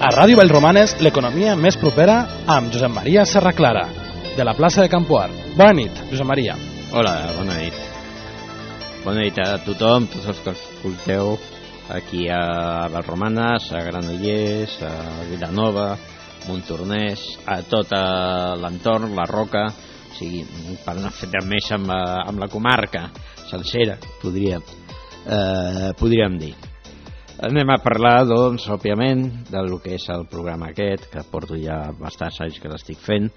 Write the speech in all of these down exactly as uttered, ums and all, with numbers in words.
A Ràdio Vallromanes, l'economia més propera amb Josep Maria Serraclara, de la plaça de Campoar. Bona nit, Josep Maria. Hola, bona nit. Bona nit a tothom, tots els que escolteu aquí a Vallromanes, a Granollers, a Vilanova, Montornès, a tot l'entorn, la Roca, o sigui, per anar fet més amb, amb la comarca sencera, podríem, eh, podríem dir. Anem a parlar, doncs, òbviament, del que és el programa aquest, que porto ja bastants anys que l'estic fent,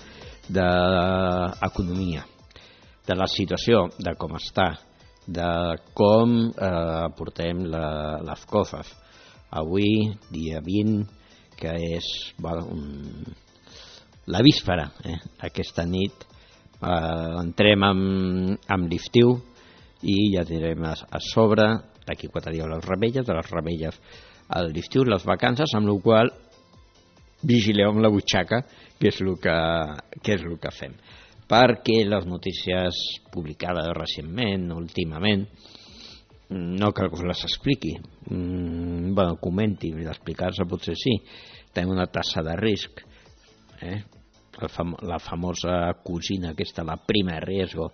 d'economia, de la situació, de com està, de com eh, portem la, les coses. Avui, dia vint, que és bueno, un, la víspera, eh? Aquesta nit, eh, entrem amb, amb l'estiu i ja tindrem a, a sobre d'aquí quatre dies les remeilles, de les remeilles a l'estiu, les vacances, amb la qual vigileu amb la butxaca, que és el que, que és el que fem. Perquè les notícies publicades recentment, últimament, no cal que us les expliqui. Mm, bueno, comenti, d'explicar-se potser sí. Tenim una tassa de risc, eh? la, fam la famosa cosina aquesta, la prima de riesgo,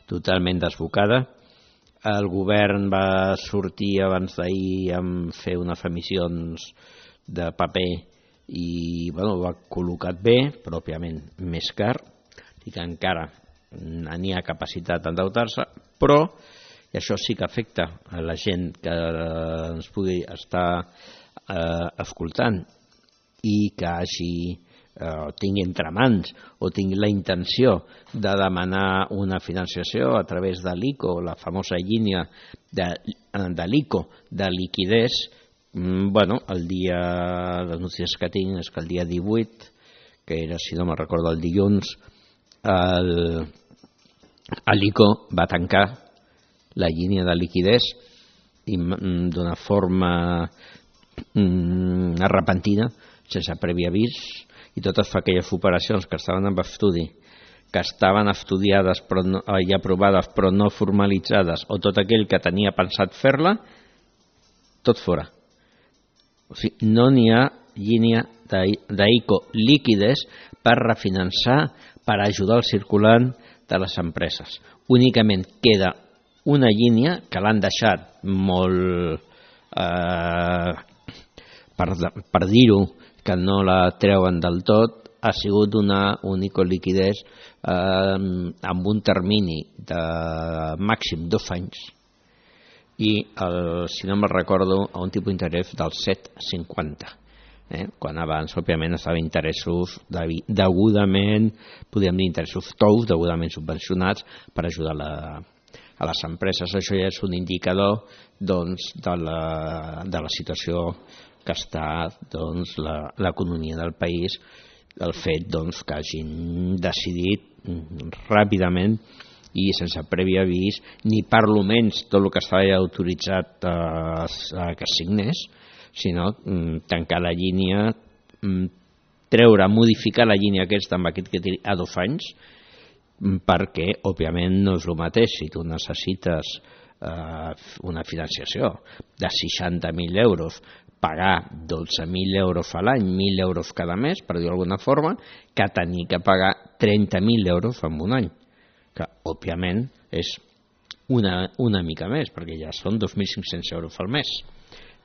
totalment desbocada. El govern va sortir abans d'ahir amb fer unes emissions de paper i bueno, ho ha col·locat bé, però òbviament més car, i que encara n'hi ha capacitat d'endeutar-se, però i això sí que afecta a la gent que ens pugui estar eh, escoltant i que hagi o tingui entre mans o tingui la intenció de demanar una financiació a través de l'ICO, la famosa línia de, de l'ICO de liquidez. Bueno, el dia, les notícies que tinc és que el dia divuit, que era, si no me'n recordo, el dilluns, l'ICO va tancar la línia de liquidez d'una forma mm, repentina, sense previ avís, i totes aquelles operacions que estaven en estudi, que estaven estudiades però no, i aprovades però no formalitzades, o tot aquell que tenia pensat fer-la, tot fora. O sigui, no n'hi ha línia d'ICO líquides per refinançar, per ajudar el circulant de les empreses. Únicament queda una línia que l'han deixat molt, eh, per, per dir-ho, que no la treuen del tot, ha sigut una única liquidez eh, amb un termini de màxim dos anys i, el, si no me'n recordo, a un tipus d'interès del set coma cinquanta. Eh? Quan abans, òbviament, estava interessos de, degudament, podríem dir interessos tous, degudament subvencionats per ajudar la, a les empreses. Això ja és un indicador doncs, de, la, de la situació que està doncs, l'economia del país, el fet doncs, que hagin decidit ràpidament i sense previ avís, ni per lo menys tot el que estava ja autoritzat a, a que es signés, sinó tancar la línia, treure, modificar la línia aquesta amb aquest que té a dos anys, perquè òbviament no és el mateix si tu necessites eh, una financiació de seixanta mil euros, pagar dotze mil euros a l'any, mil euros cada mes, per dir d'alguna forma, que tenir que pagar trenta mil euros en un any, que òbviament és una, una mica més, perquè ja són dos mil cinc-cents euros al mes,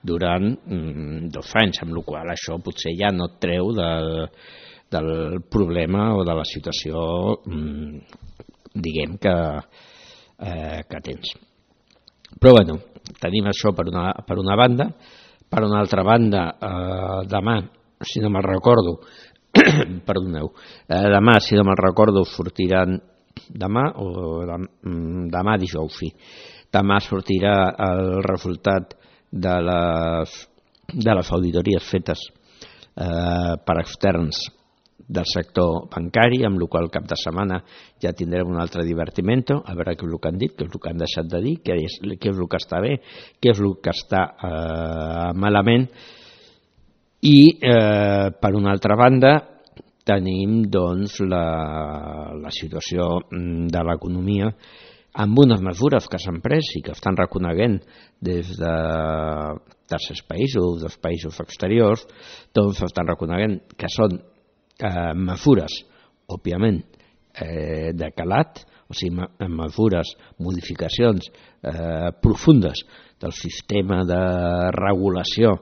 durant mm, dos anys, amb la qual cosa això potser ja no et treu de, del problema o de la situació, mm, diguem, que, eh, que tens. Però bueno, tenim això per una, per una banda. Per una altra banda, eh, demà, si no me'n recordo, perdoneu, eh, demà, si no me'n recordo, sortiran, demà o demà dijous, sí, demà sortirà el resultat de les, de les auditories fetes eh, per externs del sector bancari, amb el qual cap de setmana ja tindrem un altre divertimento, a veure què és el que han dit, què és el que han deixat de dir, què és, què és el que està bé, què és el que està eh, malament. I eh, per una altra banda tenim doncs la, la situació de l'economia amb unes mesures que s'han pres i que estan reconeguent des de tercers països, dels països exteriors, tots estan reconeguent que són eh, mesures, òbviament, eh, de calat, o sigui, mesures, modificacions eh, profundes del sistema de regulació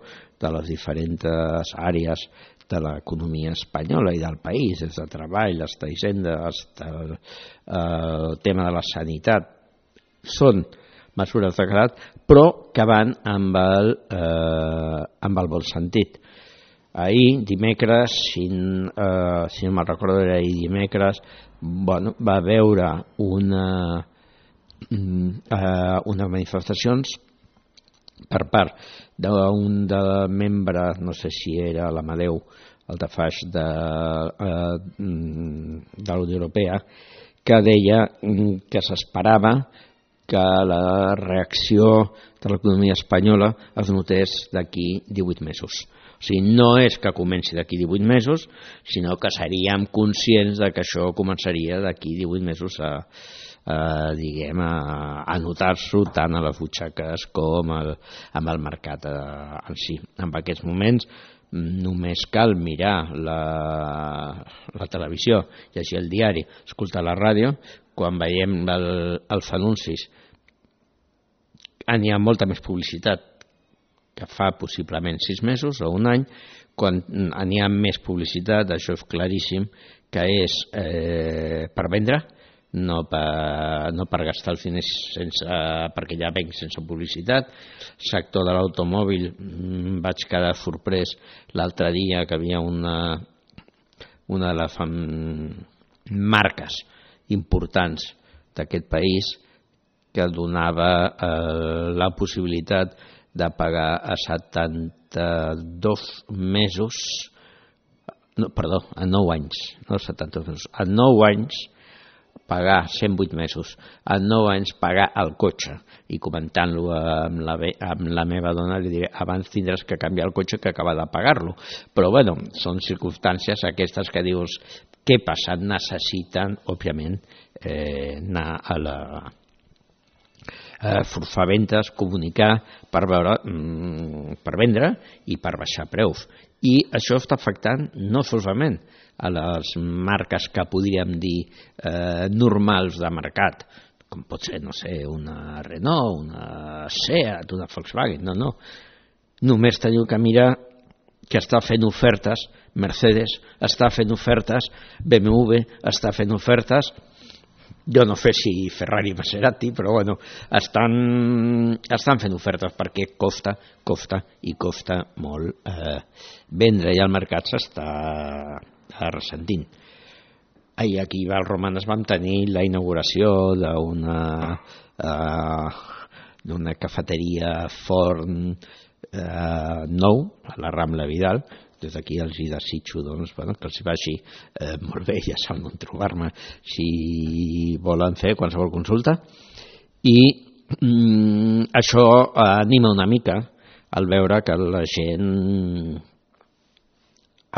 de les diferents àrees de l'economia espanyola i del país, des de treball, des d'hisenda, el, el tema de la sanitat, són mesures de calat, però que van amb el, eh, amb el bon sentit. Ahir, dimecres, si, eh, si no me'n recordo, era ahir dimecres, bueno, va haver una, eh, unes manifestacions per part d'un de membre, no sé si era l'Amadeu, el de faix de, eh, de la Unió Europea, que deia que s'esperava que la reacció de l'economia espanyola es notés d'aquí divuit mesos. O sigui, no és que comenci d'aquí divuit mesos, sinó que seríem conscients de que això començaria d'aquí divuit mesos a, a, diguem, a, a notar-s'ho tant a les butxaques com al, amb el mercat en si. En aquests moments només cal mirar la, la televisió, llegir el diari, escoltar la ràdio, quan veiem el, els anuncis n'hi ha molta més publicitat que fa possiblement sis mesos o un any. Quan n'hi ha més publicitat, això és claríssim que és eh, per vendre, no per, no per gastar els diners sense, perquè ja venc sense publicitat. Sector de l'automòbil, vaig quedar sorprès l'altre dia que havia una, una de les marques importants d'aquest país que donava eh, la possibilitat de pagar a setanta-dos mesos, no, perdó, a nou anys, no setanta-dos mesos, a nou anys pagar cent vuit mesos, a nou anys pagar el cotxe, i comentant-lo amb la, amb la meva dona li diré, abans tindràs que canviar el cotxe que acabar de pagar-lo, però bueno, són circumstàncies aquestes que dius, què passa? Necessiten, òbviament, eh, anar a la eh, forfar ventes, comunicar per veure, mm, per vendre i per baixar preus. I això està afectant no solament a les marques que podríem dir eh, normals de mercat, com pot ser, no sé, una Renault, una Seat, una Volkswagen, no, no. Només teniu que mirar que està fent ofertes, Mercedes està fent ofertes, B M W està fent ofertes, jo no sé si Ferrari i Maserati, però bueno, estan, estan fent ofertes perquè costa, costa i costa molt eh, vendre, i el mercat s'està ressentint. Ahir aquí a Valromanes vam tenir la inauguració d'una eh, d'una cafeteria forn eh, nou a la Rambla Vidal. Des d'aquí els hi desitjo doncs, bueno, que els hi vagi eh, molt bé, ja saben on trobar-me si volen fer qualsevol consulta. I mm, això anima una mica al veure que la gent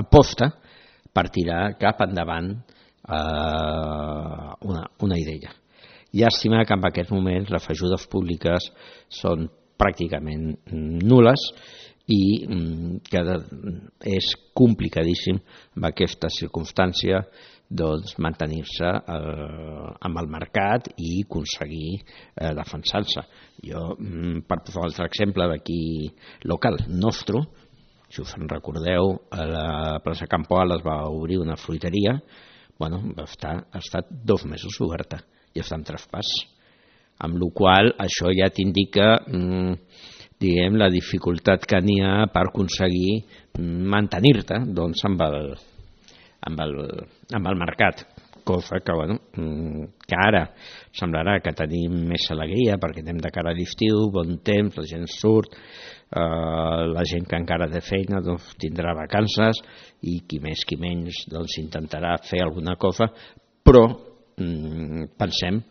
aposta per tirar cap endavant eh, una, una idea. Llàstima que en aquests moments les ajudes públiques són pràcticament nul·les i que és complicadíssim amb aquesta circumstància doncs, mantenir-se eh, amb el mercat i aconseguir eh, defensar-se. Jo, per posar un altre exemple d'aquí local, nostre, si us en recordeu, a la plaça Campoal es va obrir una fruiteria, bueno, va estar, ha estat dos mesos oberta i està en traspàs, amb la qual cosa això ja t'indica mm, diguem, la dificultat que n'hi ha per aconseguir mantenir-te doncs, amb, el, amb, el, amb el mercat, cosa que, bueno, que ara semblarà que tenim més alegria perquè anem de cara a l'estiu, bon temps, la gent surt, eh, la gent que encara té feina doncs, tindrà vacances i qui més qui menys doncs, intentarà fer alguna cosa, però mm, pensem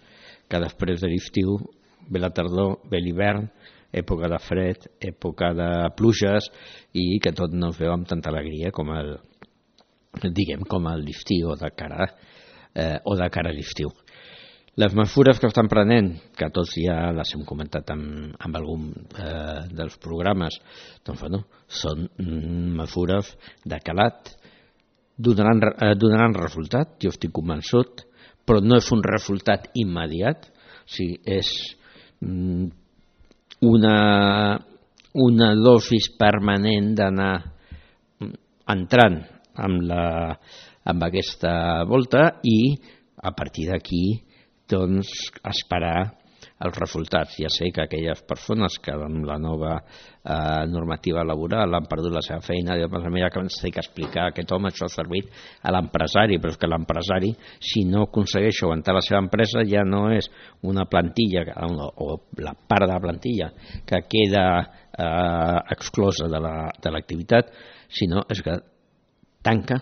que després de l'estiu ve la tardor, ve l'hivern, època de fred, època de pluges i que tot no es veu amb tanta alegria com el, diguem, com a l'estiu o de cara, eh, o de cara a l'estiu. Les mesures que estan prenent, que tots ja les hem comentat amb, amb algun eh, dels programes, doncs, bueno, són mesures de calat, donaran, eh, donaran resultat, jo estic convençut, però no és un resultat immediat, o sigui, és mm, una, una dosis permanent d'anar entrant amb, la, amb aquesta volta i a partir d'aquí doncs esperar els resultats. Ja sé que aquelles persones que amb la nova eh, normativa laboral han perdut la seva feina, diuen, mira que ens té que explicar aquest home, això ha servit a l'empresari, però és que l'empresari, si no aconsegueix aguantar la seva empresa, ja no és una plantilla o la part de la plantilla que queda eh, exclosa de l'activitat, la, sinó és que tanca,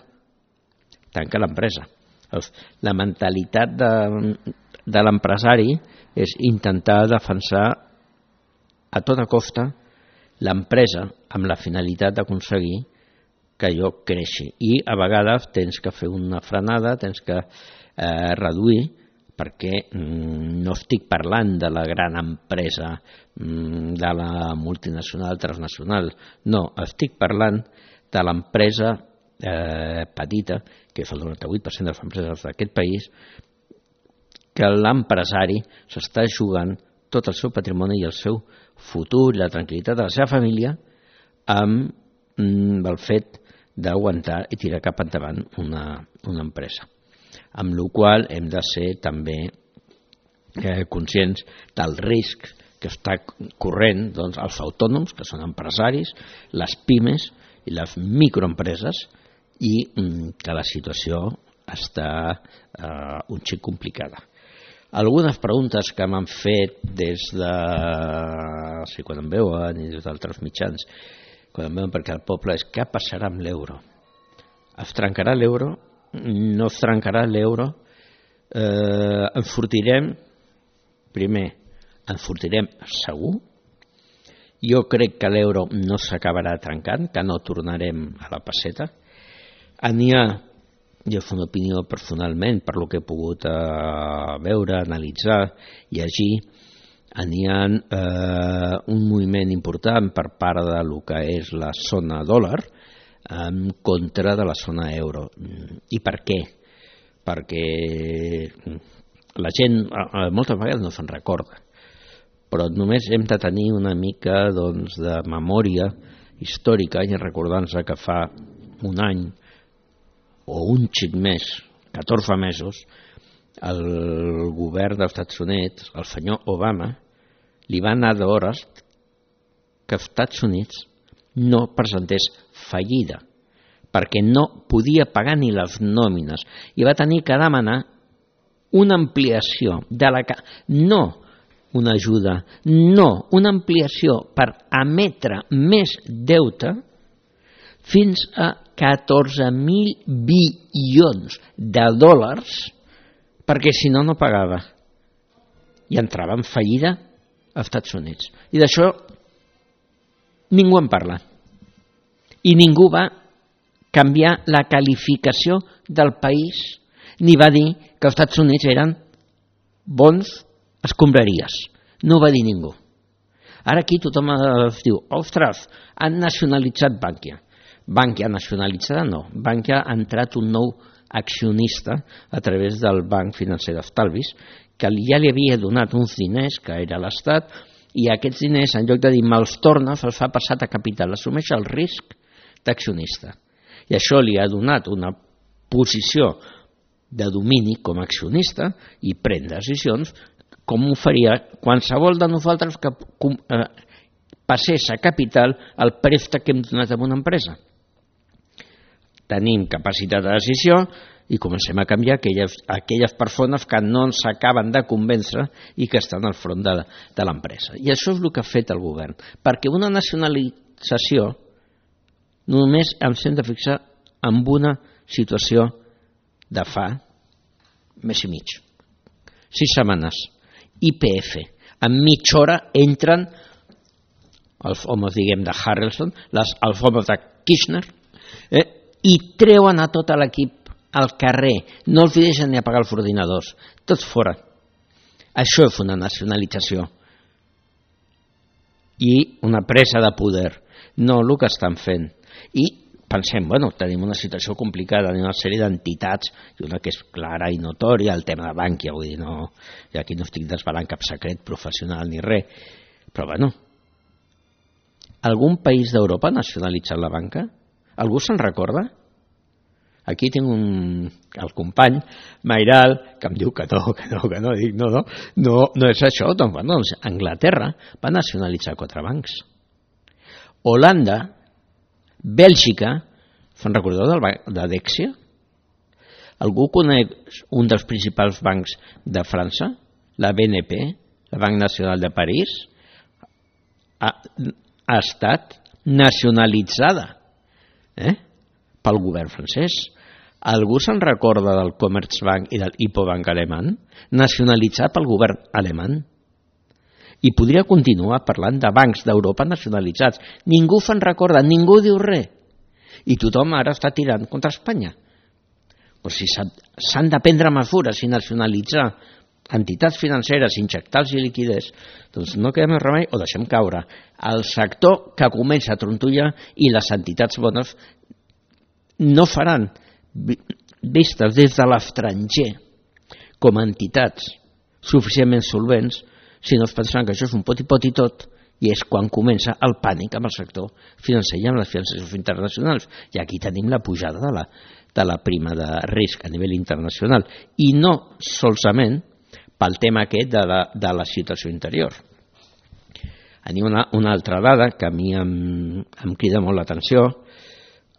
tanca l'empresa. La mentalitat de de l'empresari és intentar defensar a tota costa l'empresa amb la finalitat d'aconseguir que allò creixi. I a vegades tens que fer una frenada, tens que eh, reduir, perquè mm, no estic parlant de la gran empresa, mm, de la multinacional, transnacional, no, estic parlant de l'empresa eh, petita, que és el noranta-vuit per cent de les empreses d'aquest país, que l'empresari s'està jugant tot el seu patrimoni i el seu futur i la tranquil·litat de la seva família amb mm, el fet d'aguantar i tirar cap endavant una, una empresa. Amb la qual hem de ser també eh, conscients del risc que està corrent doncs, els autònoms, que són empresaris, les pimes i les microempreses, i mm, que la situació està eh, un xic complicada. Algunes preguntes que m'han fet des de, sí, quan em veuen i des d'altres mitjans, quan em veuen perquè el poble és què passarà amb l'euro? Es trencarà l'euro? No es trencarà l'euro? Eh, enfortirem? Primer, enfortirem segur? Jo crec que l'euro no s'acabarà trencant, que no tornarem a la peseta. N'hi ha, jo fa una opinió personalment per lo que he pogut eh, veure, analitzar, llegir, n'hi ha eh, un moviment important per part de lo que és la zona dòlar en contra de la zona euro. I per què? Perquè la gent eh, moltes vegades no se'n recorda, però només hem de tenir una mica doncs, de memòria històrica i recordar-nos que fa un any o un xic més, catorze mesos, el govern dels Estats Units, el senyor Obama, li va anar d'hores que els Estats Units no presentés fallida, perquè no podia pagar ni les nòmines i va tenir que demanar una ampliació de la... no una ajuda, no una ampliació per emetre més deute fins a catorze mil bilions de dòlars, perquè si no, no pagava. I entrava en fallida als Estats Units. I d'això ningú en parla. I ningú va canviar la qualificació del país, ni va dir que els Estats Units eren bons escombraries. No ho va dir ningú. Ara aquí tothom es diu, ostres, han nacionalitzat Bankia. Bankia nacionalitzada no. Bankia ha entrat un nou accionista a través del Banc Financer d'Estalvis, que ja li havia donat uns diners, que era l'Estat, i aquests diners, en lloc de dir me'ls torna, se'ls fa passar a capital, assumeix el risc d'accionista. I això li ha donat una posició de domini com a accionista i pren decisions com ho faria qualsevol de nosaltres que eh, passés a capital el préstec que hem donat a una empresa. Tenim capacitat de decisió i comencem a canviar aquelles, aquelles persones que no ens acaben de convèncer i que estan al front de, de l'empresa. I això és el que ha fet el govern, perquè una nacionalització només ens hem de fixar en una situació de fa mes i mig. Sis setmanes. I P F. En mitja hora entren els homes, diguem, de Harrelson, les, els homes de Kirchner, eh, i treuen a tot l'equip al carrer. No els deixen ni apagar els ordinadors. Tots fora. Això és una nacionalització i una presa de poder, no el que estan fent. I pensem, bueno, tenim una situació complicada, tenim una sèrie d'entitats, i una que és clara i notòria, el tema de Bankia, vull dir, no, i aquí no estic desvelant cap secret professional ni res, però bueno, algun país d'Europa ha nacionalitzat la banca? Algú se'n recorda? Aquí tinc un, el company Mairal, que em diu que no, que no, que no, dic, no, no, no, no és això, doncs, bueno, doncs Anglaterra va nacionalitzar quatre bancs. Holanda, Bèlgica, se'n recordeu del banc de Dexia? Algú coneix un dels principals bancs de França? La B N P, la Banc Nacional de París, ha, ha estat nacionalitzada eh? pel govern francès. Algú se'n recorda del Commerzbank i del Hypobank alemany? Nacionalitzat pel govern alemany. I podria continuar parlant de bancs d'Europa nacionalitzats. Ningú se'n recorda, ningú diu res. I tothom ara està tirant contra Espanya. Pues si s'han de prendre mesures i nacionalitzar entitats financeres, injectar-los i liquidez, doncs no queda més remei o deixem caure. El sector que comença a trontollar i les entitats bones no faran vistes des de l'estranger com a entitats suficientment solvents, si no es pensaran que això és un pot i pot i tot, i és quan comença el pànic amb el sector financer i amb les finances internacionals. I aquí tenim la pujada de la, de la prima de risc a nivell internacional, i no solament pel tema aquest de la, de la situació interior. Anem una, una altra dada que a mi em, em crida molt l'atenció.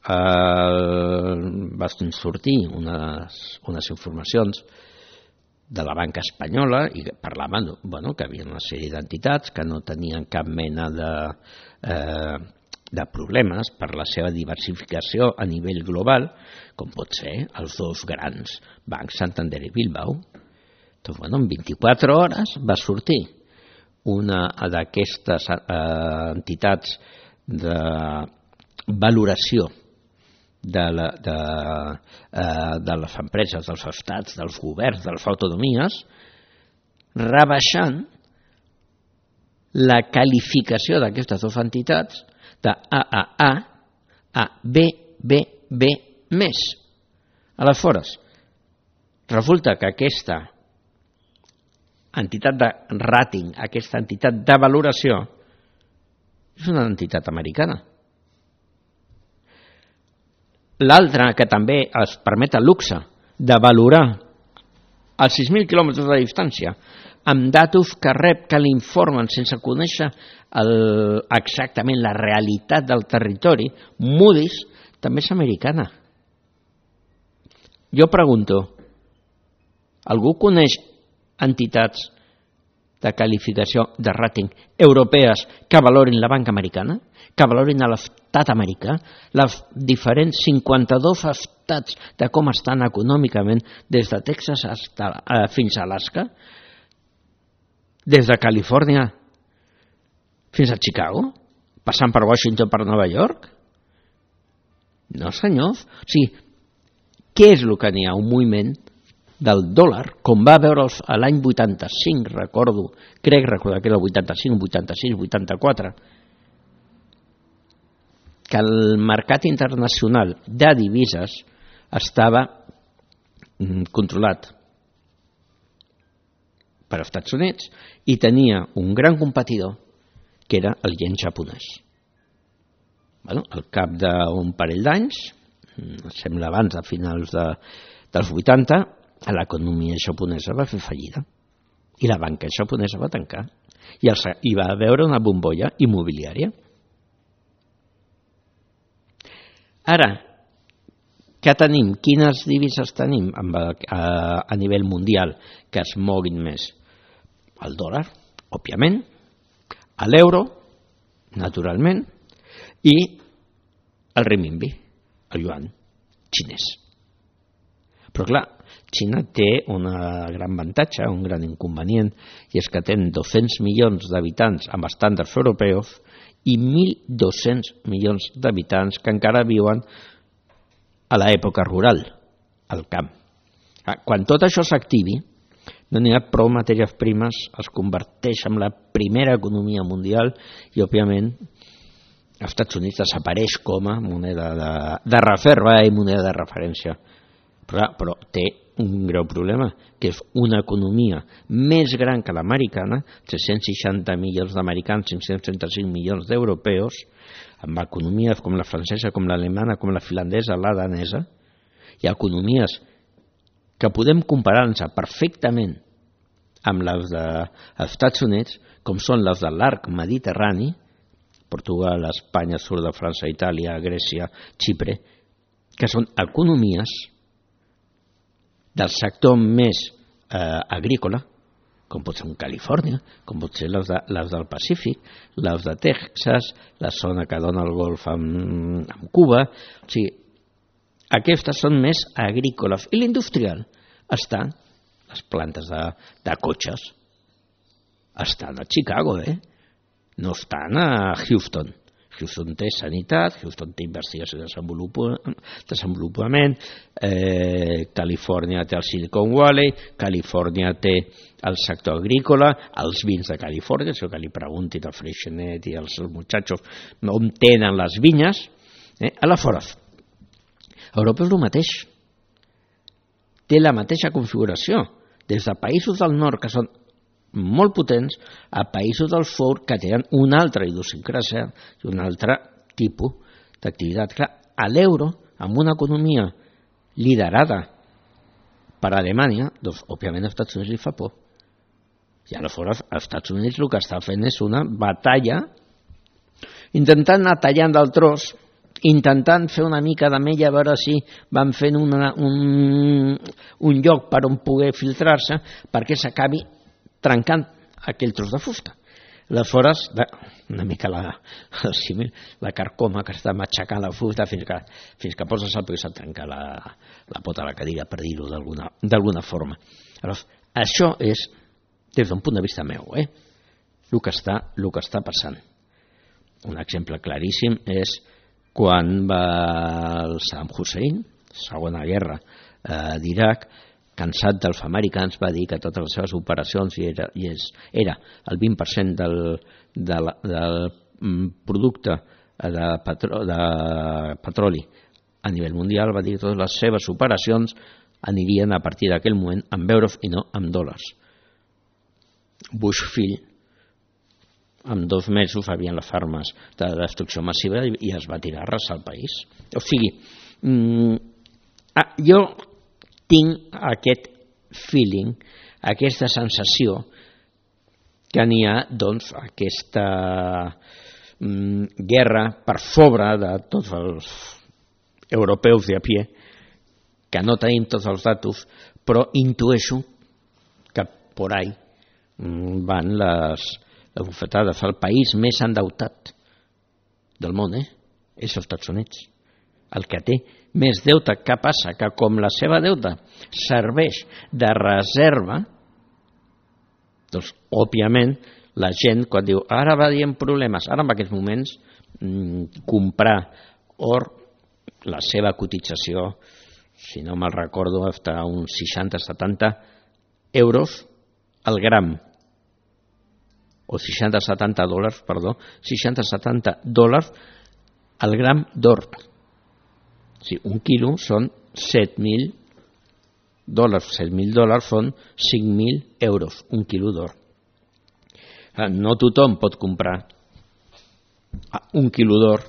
Eh, van sortir unes, unes informacions de la banca espanyola i parlaven bueno, que hi havia una sèrie d'entitats que no tenien cap mena de, eh, de problemes per la seva diversificació a nivell global, com pot ser els dos grans bancs Santander i Bilbao. Doncs, bueno, en vint-i-quatre hores va sortir una d'aquestes eh, entitats de valoració de, la, de, eh, de les empreses, dels estats, dels governs, de les autonomies, rebaixant la qualificació d'aquestes dues entitats de A A A a B B B més. Aleshores, resulta que aquesta entitat de rating, aquesta entitat de valoració, és una entitat americana. L'altra, que també es permet el luxe de valorar als sis mil quilòmetres de distància amb datos que rep, que l'informen sense conèixer el, exactament la realitat del territori, Moody's, també és americana. Jo pregunto, algú coneix entitats de qualificació de rating europees que valorin la banca americana, que valorin a l'estat americà, les diferents cinquanta-dos estats de com estan econòmicament des de Texas hasta, eh, fins a Alaska, des de Califòrnia fins a Chicago, passant per Washington, per Nova York? No, senyors. O sigui, què és el que n'hi ha? Un moviment del dòlar, com va veure l'any vuitanta-cinc, recordo, crec recordar que era el vuitanta-cinc, vuitanta-sis, vuitanta-quatre, que el mercat internacional de divises estava controlat per als Estats Units i tenia un gran competidor que era el yen japonès. Bueno, al cap d'un parell d'anys, sembla abans de finals de, dels vuitanta, l'economia japonesa va fer fallida i la banca japonesa va tancar i hi va haver una bombolla immobiliària. Ara, què tenim? Quines divises tenim a, a, a nivell mundial que es moguin més? El dòlar, òbviament, l'euro, naturalment, i el renminbi, el yuan xinès. Però clar, Xina té un gran avantatge, un gran inconvenient, i és que té dos-cents milions d'habitants amb estàndards europeus i mil dos-cents milions d'habitants que encara viuen a l'època rural, al camp. Quan tot això s'activi, no n'hi ha prou matèries primes, es converteix en la primera economia mundial i, òbviament, els Estats Units desapareix com a moneda de, de reserva i moneda de referència. Però, però té un greu problema, que és una economia més gran que l'americana, tres-cents seixanta milions d'americans, cinc-cents trenta-cinc milions d'europeus, amb economies com la francesa, com l'alemana, com la finlandesa, la danesa. Hi ha economies que podem comparar-nos perfectament amb les dels Estats Units, com són les de l'arc mediterrani, Portugal, Espanya, sud de França, Itàlia, Grècia, Xipre, que són economies del sector més eh, agrícola, com pot ser en Califòrnia, com pot ser les, de, les del Pacífic, les de Texas, la zona que dona el golf amb, amb Cuba. O sigui, aquestes són més agrícoles. I l'industrial estan, les plantes de, de cotxes, estan a Chicago, eh? No estan a Houston. Houston té sanitat, Houston té investigació i desenvolupament, eh, Califòrnia té el Silicon Valley, Califòrnia té el sector agrícola, els vins de Califòrnia, això que li preguntin al Freixenet i als muchachos on tenen les vinyes, eh? Aleshores, Europa és el mateix. Té la mateixa configuració, des de països del nord que són molt potents a països del sud que tenen una altra idiosincràsia i un altre tipus d'activitat. Clar, a l'euro, amb una economia liderada per Alemanya, doncs, òbviament, als Estats Units li fa por. I aleshores, als Estats Units el que està fent és una batalla intentant anar tallant del tros, intentant fer una mica de mella a veure si van fent una, un, un lloc per on poder filtrar-se perquè s'acabi trencant aquell tros de fusta. Aleshores, una mica la, la carcoma que està matxacant la fusta fins que, fins que poses el peu i se't trenca la, la pota a la cadira, per dir-ho d'alguna forma. Aleshores, això és, des d'un punt de vista meu, eh, el que està, el que està passant. Un exemple claríssim és quan va el Saddam Hussein, segona guerra eh, d'Iraq, cansat dels americans, va dir que totes les seves operacions i era, i és, era el vint per cent del, del, del producte de, petro, de petroli a nivell mundial, va dir que totes les seves operacions anirien a partir d'aquell moment amb euros i no amb dòlars. Bush fill, en dos mesos havien les armes de destrucció massiva i es va tirar a arrasar el país. O sigui, mm, ah, jo tinc aquest feeling, aquesta sensació que n'hi ha, doncs, aquesta mm, guerra per sobre de tots els europeus de a pie, que no tenim tots els datos, però intueixo que por ahí mm, van les, les bufetades. El país més endeutat del món, eh? És els Estats Units. El que té més deute. Què passa? Que com la seva deute serveix de reserva, doncs, òbviament, la gent, quan diu, ara va dient problemes, ara en aquests moments, mmm, comprar or, la seva cotització, si no me'l recordo, està a uns seixanta setanta euros al gram, o seixanta setanta dòlars, perdó, seixanta setanta dòlars al gram d'or. Sí, un quilo són set mil dòlars, set mil dòlars són cinc mil euros, un quilo d'or. No tothom pot comprar un quilo d'or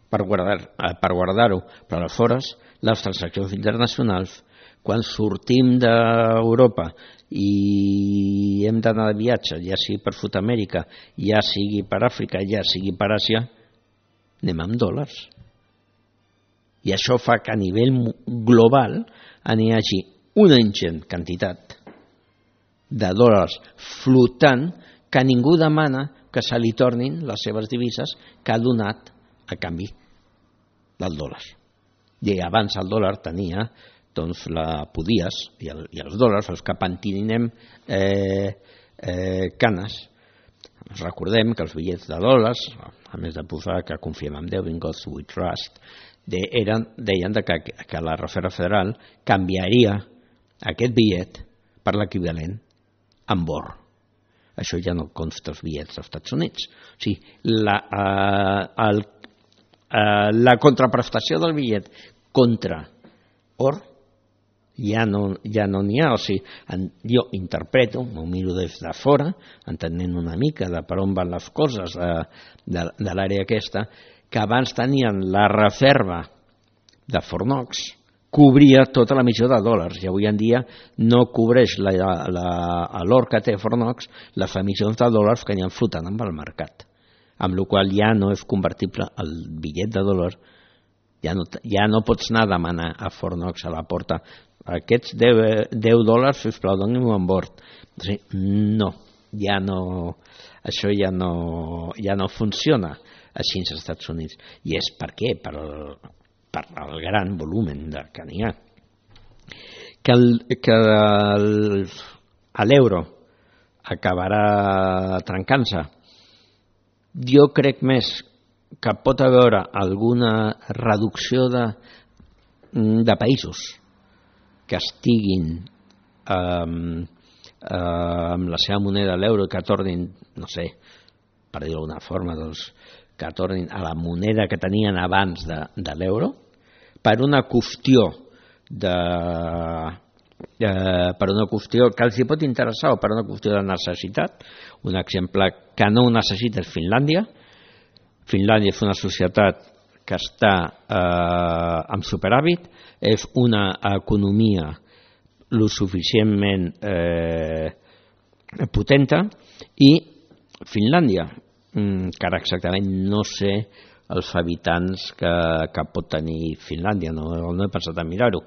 per guardar, per guardar-ho, però aleshores les transaccions internacionals, quan sortim d'Europa i hem d'anar de viatge, ja sigui per Sud-amèrica, ja sigui per Àfrica, ja sigui per Àsia, anem amb dòlars. I això fa que a nivell global n'hi hagi una ingent quantitat de dòlars flotant que ningú demana que se li tornin les seves divises que ha donat a canvi del dòlar. I abans el dòlar tenia, doncs, la podies, i, el, i els dòlars, els que pentininem eh, eh, canes. Recordem que els bitllets de dòlars, a més de posar que confiem en Déu, in God we trust, de, eren, deien de que, que la Reserva Federal canviaria aquest bitllet per l'equivalent en or. Això ja no consta als bitllets dels Estats Units. O sigui, la, eh, el, eh, la contraprestació del bitllet contra or ja no ja no n'hi ha. O sigui, en, jo interpreto, m'ho miro des de fora, entenent una mica de per on van les coses de, de, de l'àrea aquesta, que abans tenien la reserva de Fornox, cobria tota l'emissió de dòlars i avui en dia no cobreix l'or que té Fornox les emissions de dòlars que n'hi ha flotant amb el mercat, amb la qual ja no és convertible el bitllet de dòlar, ja no, ja no pots anar a demanar a Fornox a la porta aquests deu dòlars, sisplau, doni-m'ho en bord. O sigui, no, ja no, això ja no, ja no funciona així als Estats Units. I és per què? Per el, per el gran volumen de, que n'hi ha. Que, el, que el, l'euro acabarà trencant-se. Jo crec més que pot haver alguna reducció de, de països que estiguin eh, eh, amb la seva moneda, l'euro, que tornin, no sé, per dir-ho d'alguna forma, doncs, que tornin a la moneda que tenien abans de, de l'euro, per una qüestió de, eh, per una qüestió que els hi pot interessar o per una qüestió de necessitat. Un exemple que no ho necessita és Finlàndia. Finlàndia és una societat que està eh, amb superàvit, és una economia lo suficientment eh, potenta, i Finlàndia, que ara exactament no sé els habitants que, que pot tenir Finlàndia, no, no he pensat a mirar-ho,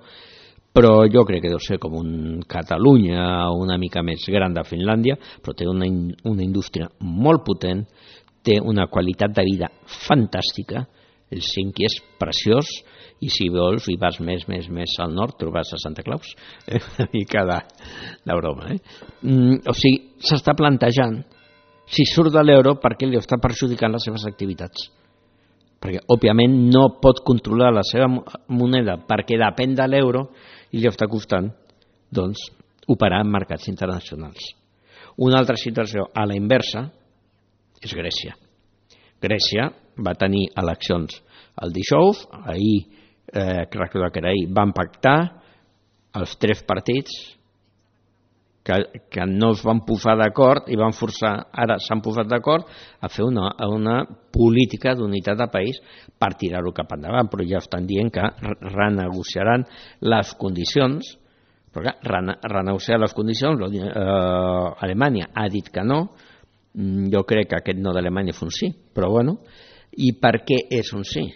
però jo crec que deu ser com un Catalunya una mica més gran de Finlàndia, però té una, una indústria molt potent, té una qualitat de vida fantàstica, el Helsinki és preciós, i si vols i vas més, més, més al nord trobes a Santa Claus, eh? Una mica de, de broma. Eh? Mm, o sigui, s'està plantejant si surt de l'euro perquè li està perjudicant les seves activitats. Perquè, òbviament, no pot controlar la seva moneda perquè depèn de l'euro i li està costant, doncs, operar en mercats internacionals. Una altra situació a la inversa és Grècia. Grècia va tenir eleccions el dijous, ahir, eh, crec que era ahir, van pactar els tres partits que, que no es van posar d'acord i van forçar, ara s'han posat d'acord a fer una, una política d'unitat de país per tirar-ho cap endavant, però ja estan dient que renegociaran les condicions, però clar, renegociar les condicions, eh, Alemanya ha dit que no, jo crec que aquest no d'Alemanya és un sí, però bueno, i per què és un sí?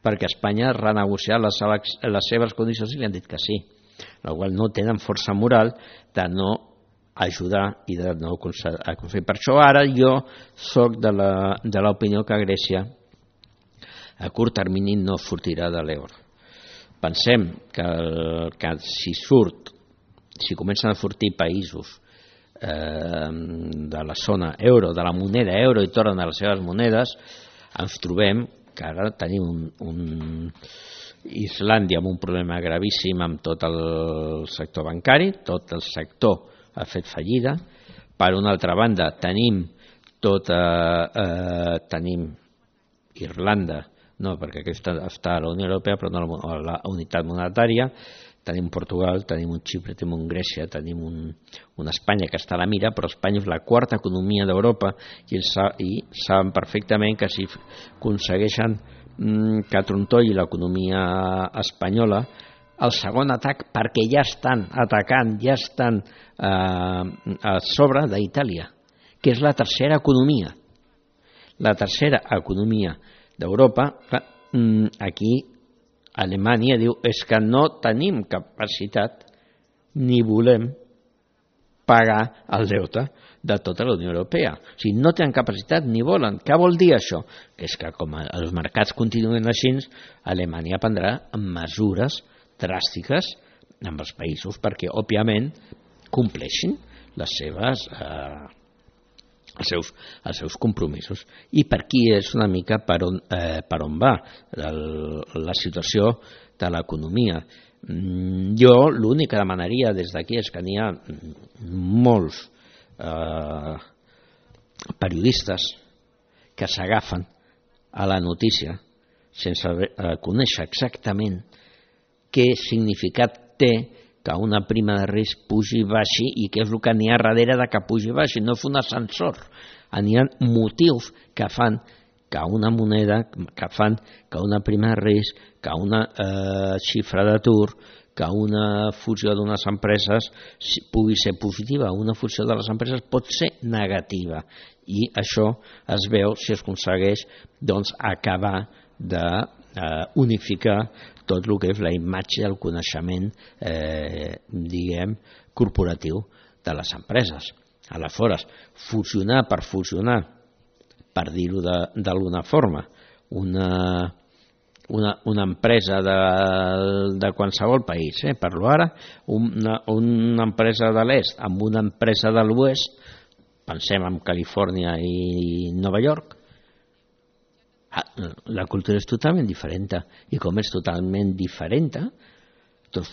Perquè Espanya ha renegociat les, les seves condicions i li han dit que sí, la qual no tenen força moral de no ajudar i de no aconseguir. Per això ara jo soc de l'opinió que Grècia a curt termini no sortirà de l'euro. Pensem que, que si surt, si comencen a sortir països de la zona euro, de la moneda euro i tornen a les seves monedes, ens trobem que ara tenim un, un Islàndia amb un problema gravíssim amb tot el sector bancari, tot el sector ha fet fallida. Per una altra banda tenim tota eh, tenim Irlanda, no, perquè aquesta està a la Unió Europea però no a la unitat monetària, tenim Portugal, tenim un Xipre, tenim un Grècia, tenim un, una Espanya que està a la mira, però Espanya és la quarta economia d'Europa i, ells, i saben perfectament que si aconsegueixen mm, que trontolli l'economia espanyola, el segon atac, perquè ja estan atacant, ja estan eh, a sobre d'Itàlia, que és la tercera economia. La tercera economia d'Europa, clar, aquí Alemanya diu és que no tenim capacitat ni volem pagar el deute de tota la Unió Europea. O sigui, no tenen capacitat ni volen. Què vol dir això? Que és que com els mercats continuen així, Alemanya prendrà mesures dràstiques amb els països perquè, òbviament, compleixin les seves... Eh, Els seus, els seus compromisos. I per aquí és una mica per on, eh, per on va el, la situació de l'economia. Jo l'únic que demanaria des d'aquí és que n'hi ha molts eh, periodistes que s'agafen a la notícia sense eh, conèixer exactament què significat té que una prima de risc pugi i baixi i què és el que n'hi ha darrere de que pugi i baixi. No és un ascensor. N'hi ha motius que fan que una moneda, que fan que una prima de risc, que una eh, xifra d'atur, que una fusió d'unes empreses pugui ser positiva, una fusió de les empreses pot ser negativa. I això es veu si es aconsegueix doncs, acabar d'unificar eh, tot el que és la imatge i el coneixement eh, diguem, corporatiu de les empreses. Aleshores, fusionar per fusionar, per dir-ho d'alguna forma, una, una, una empresa de, de qualsevol país, eh, parlo ara, una, una empresa de l'est amb una empresa de l'oest, pensem en Califòrnia i Nova York, la cultura és totalment diferent, i com és totalment diferent, doncs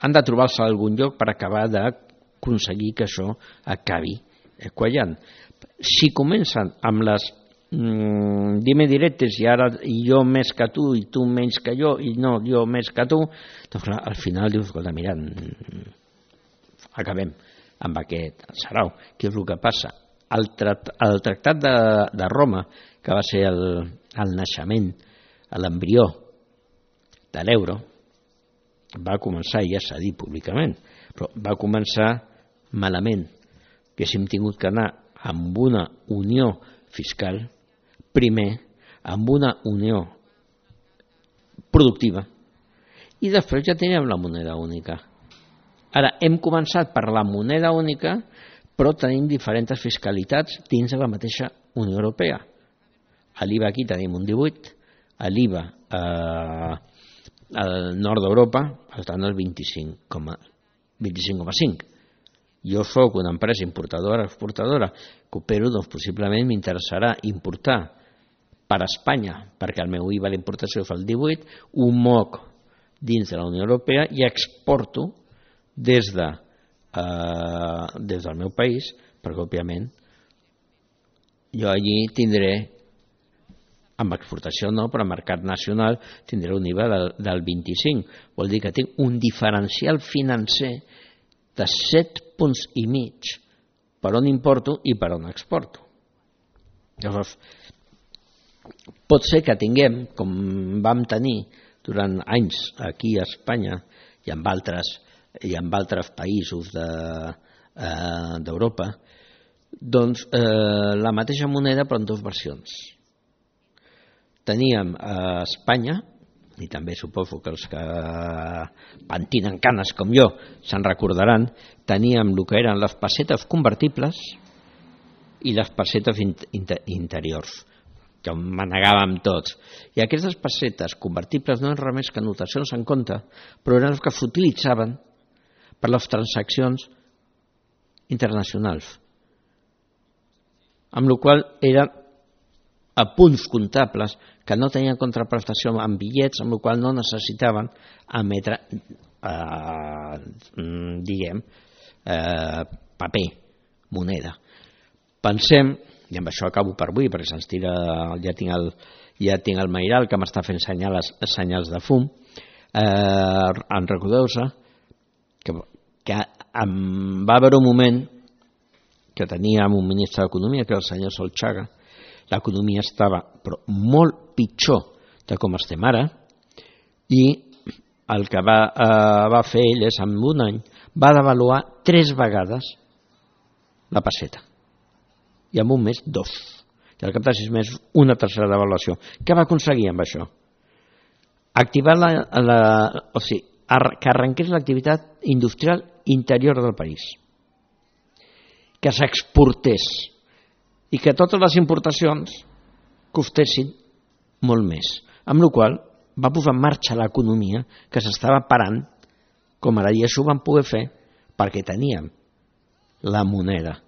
han de trobar-se a algun lloc per acabar d'aconseguir que això acabi quallant. Si comencen amb les mmm, dime directes i ara jo més que tu i tu menys que jo i no, jo més que tu, doncs clar, al final dius, escolta, mira, acabem amb aquest sarau. Què és el que passa? El, trat, el tractat de, de Roma, que va ser el, el naixement, l'embrió de l'euro, va començar, ja s'ha dit públicament, però va començar malament, que hem tingut que anar amb una unió fiscal, primer, amb una unió productiva, i després ja teníem la moneda única. Ara, hem començat per la moneda única, però tenim diferents fiscalitats dins de la mateixa Unió Europea. A l'I V A aquí tenim un divuit, a l'I V A eh, al nord d'Europa estan el vint-i-cinc coma cinc. Jo soc una empresa importadora, exportadora, que opero, doncs possiblement m'interessarà importar per a Espanya, perquè el meu I V A d'importació fa el divuit, ho moc dins de la Unió Europea i exporto des, de, eh, des del meu país, perquè òbviament jo allí tindré, amb exportació no, però en mercat nacional tindré un I V A del, del vint-i-cinc. Vol dir que tinc un diferencial financer de set punts i mig per on importo i per on exporto. Llavors, pot ser que tinguem, com vam tenir durant anys aquí a Espanya i en altres, i en altres països d'Europa, de, eh, doncs eh, la mateixa moneda però en dues versions. Teníem a Espanya, i també suposo que els que pentinen canes com jo se'n recordaran, teníem el que eren les pessetes convertibles i les pessetes interiors, que manegàvem tots. I aquestes pessetes convertibles no eren res més que notacions en compte, però eren les que s'utilitzaven per les transaccions internacionals, amb la qual cosa eren a punts comptables que no tenien contraprestació en bitllets, amb la qual cosa no necessitaven emetre eh, diguem eh, paper, moneda. Pensem, i amb això acabo per avui perquè se'ns tira, ja tinc el, ja tinc el Mairal que m'està fent senyals, senyals de fum, eh, en recordeu-se que, que em va haver un moment que teníem un ministre d'Economia que era el senyor Solchaga. L'economia estava però molt pitjor de com estem ara i el que va, eh, va fer ell és en un any va devaluar tres vegades la pesseta i en un mes dos i al cap de sis mesos una tercera devaluació. Què va aconseguir amb això? Activar la, la, o sigui, que arrenqués l'activitat industrial interior del país, que s'exportés i que totes les importacions costessin molt més, amb la qual cosa va posar en marxa l'economia que s'estava parant com ara, i això ho vam poder fer perquè teníem la moneda,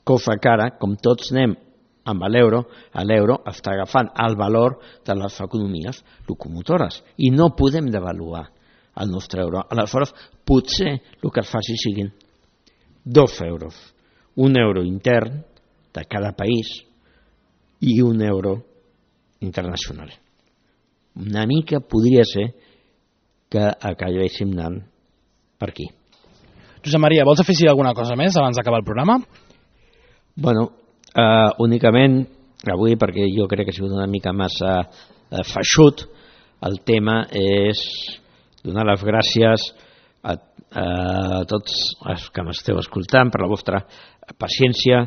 cosa que ara, com tots anem amb l'euro, l'euro està agafant el valor de les economies locomotores i no podem devaluar el nostre euro. Aleshores, potser el que es faci siguin dos euros un euro intern de cada país i un euro internacional. Una mica podria ser que acabéssim anant per aquí. Josep Maria, vols afegir alguna cosa més abans d'acabar el programa? Bueno, eh, únicament avui, perquè jo crec que ha sigut una mica massa eh, feixut, el tema és donar les gràcies a, a tots els que m'esteu escoltant per la vostra paciència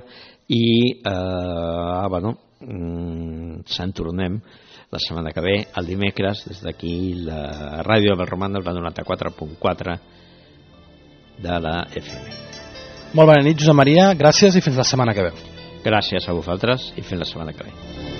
i eh, bueno, se'n tornem la setmana que ve, el dimecres, des d'aquí la ràdio del Romanos, la noranta-quatre punt quatre de la F M. Molt bona nit, Josep Maria, gràcies i fins la setmana que ve. Gràcies a vosaltres i fins la setmana que ve.